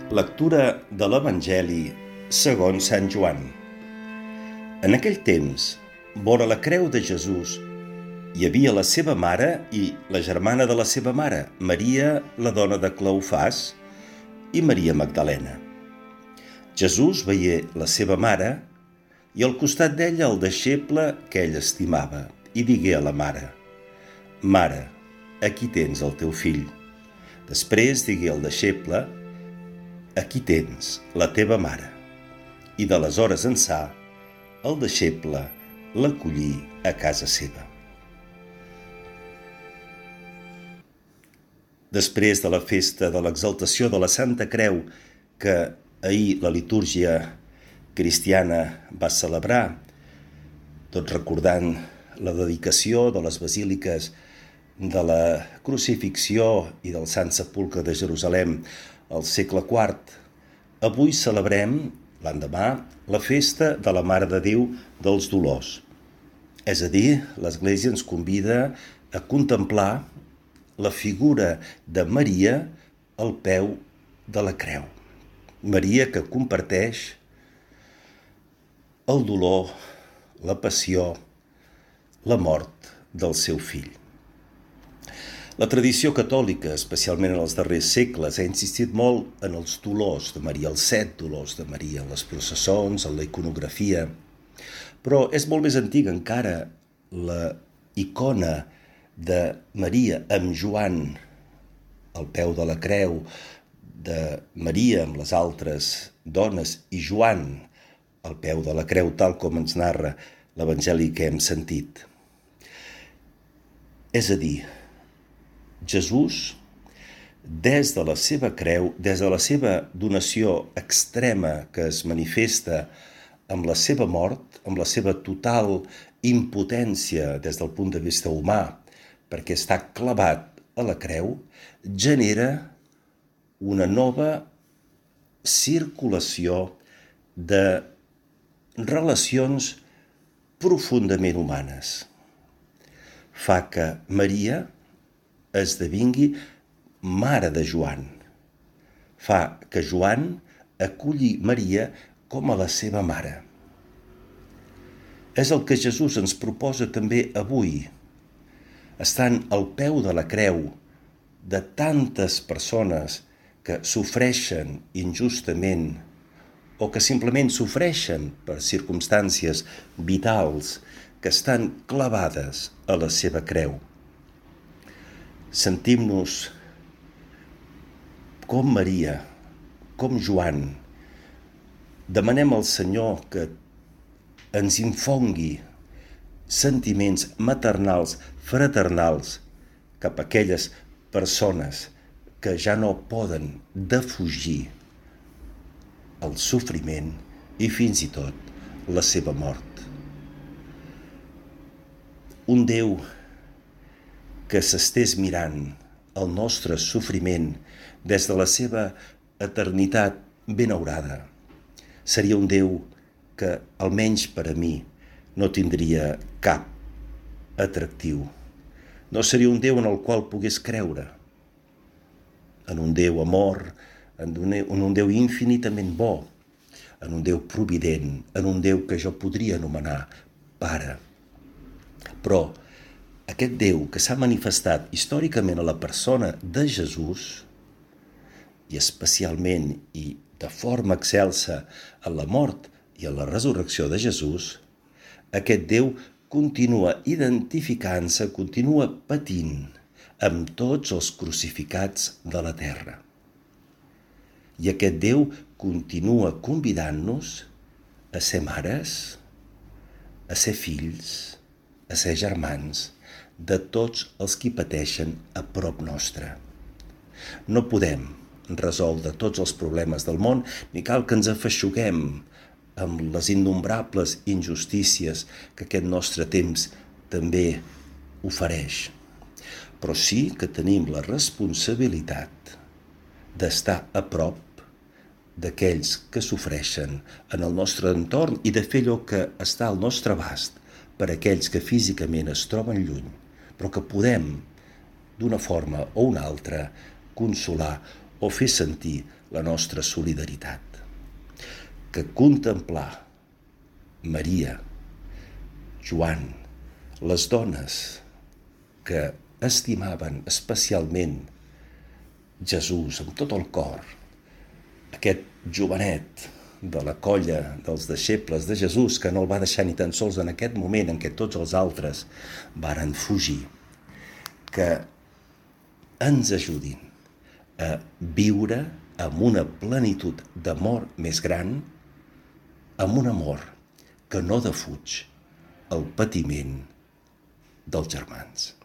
Lectura de l'Evangeli segons Sant Joan. En aquell temps, vora la creu de Jesús, hi havia la seva mare i la germana de la seva mare, Maria, la dona de Cleofàs, i Maria Magdalena. Jesús veié la seva mare i al costat d'ella el deixeble que ell estimava, i digué a la mare: «Mare, aquí tens el teu fill». Després digué al deixeble: «Aquí tens la teva mare». I d'aleshores ençà, el deixeble l'acollí a casa seva. Després de la festa de l'exaltació de la Santa Creu, que ahir la litúrgia cristiana va celebrar, tot recordant la dedicació de les basíliques de la Crucifixió i del Sant Sepulcre de Jerusalem al segle IV, avui celebrem, l'endemà, la festa de la Mare de Déu dels Dolors. És a dir, l'Església ens convida a contemplar la figura de Maria al peu de la creu. Maria que comparteix el dolor, la passió, la mort del seu fill. La tradició catòlica, especialment en els darrers segles, ha insistit molt en els dolors de Maria, els 7 dolors de Maria, en les processons, en la iconografia. Però és molt més antiga encara la icona de Maria amb Joan al peu de la creu, de Maria amb les altres dones i Joan al peu de la creu, tal com ens narra l'Evangeli que hem sentit. És a dir, Jesús, des de la seva creu, des de la seva donació extrema que es manifesta amb la seva mort, amb la seva total impotència des del punt de vista humà, perquè està clavat a la creu, genera una nova circulació de relacions profundament humanes. Fa que Maria esdevingui mare de Joan. Fa que Joan aculli Maria com a la seva mare. És el que Jesús ens proposa també avui, estant al peu de la creu de tantes persones que sofreixen injustament o que simplement sofreixen per circumstàncies vitals que estan clavades a la seva creu. Sentim-nos com Maria, com Joan. Demanem al Senyor que ens infongui sentiments maternals, fraternals, cap a aquelles persones que ja no poden defugir el sofriment i fins i tot la seva mort. Un Déu que s'estés mirant el nostre sofriment des de la seva eternitat benaurada, seria un Déu que, almenys per a mi, no tindria cap atractiu. No seria un Déu en el qual pogués creure, en un Déu amor, en un Déu infinitament bo, en un Déu provident, en un Déu que jo podria anomenar Pare. Però aquest Déu que s'ha manifestat històricament a la persona de Jesús, i especialment i de forma excelsa en la mort i en la resurrecció de Jesús, aquest Déu continua identificant-se, continua patint amb tots els crucificats de la terra. I aquest Déu continua convidant-nos a ser mares, a ser fills, a ser germans de tots els qui pateixen a prop nostre. No podem resoldre tots els problemes del món, ni cal que ens afeixuguem amb les innombrables injustícies que aquest nostre temps també ofereix. Però sí que tenim la responsabilitat d'estar a prop d'aquells que sofreixen en el nostre entorn i de fer allò que està al nostre abast per a aquells que físicament es troben lluny, però que podem, d'una forma o una altra, consolar o fer sentir la nostra solidaritat. Que contemplar Maria, Joan, les dones que estimaven especialment Jesús amb tot el cor, aquest jovenet de la colla dels deixebles de Jesús que no el va deixar ni tan sols en aquest moment en què tots els altres varen fugir, que ens ajudin a viure amb una plenitud d'amor més gran, amb un amor que no defuig el patiment dels germans.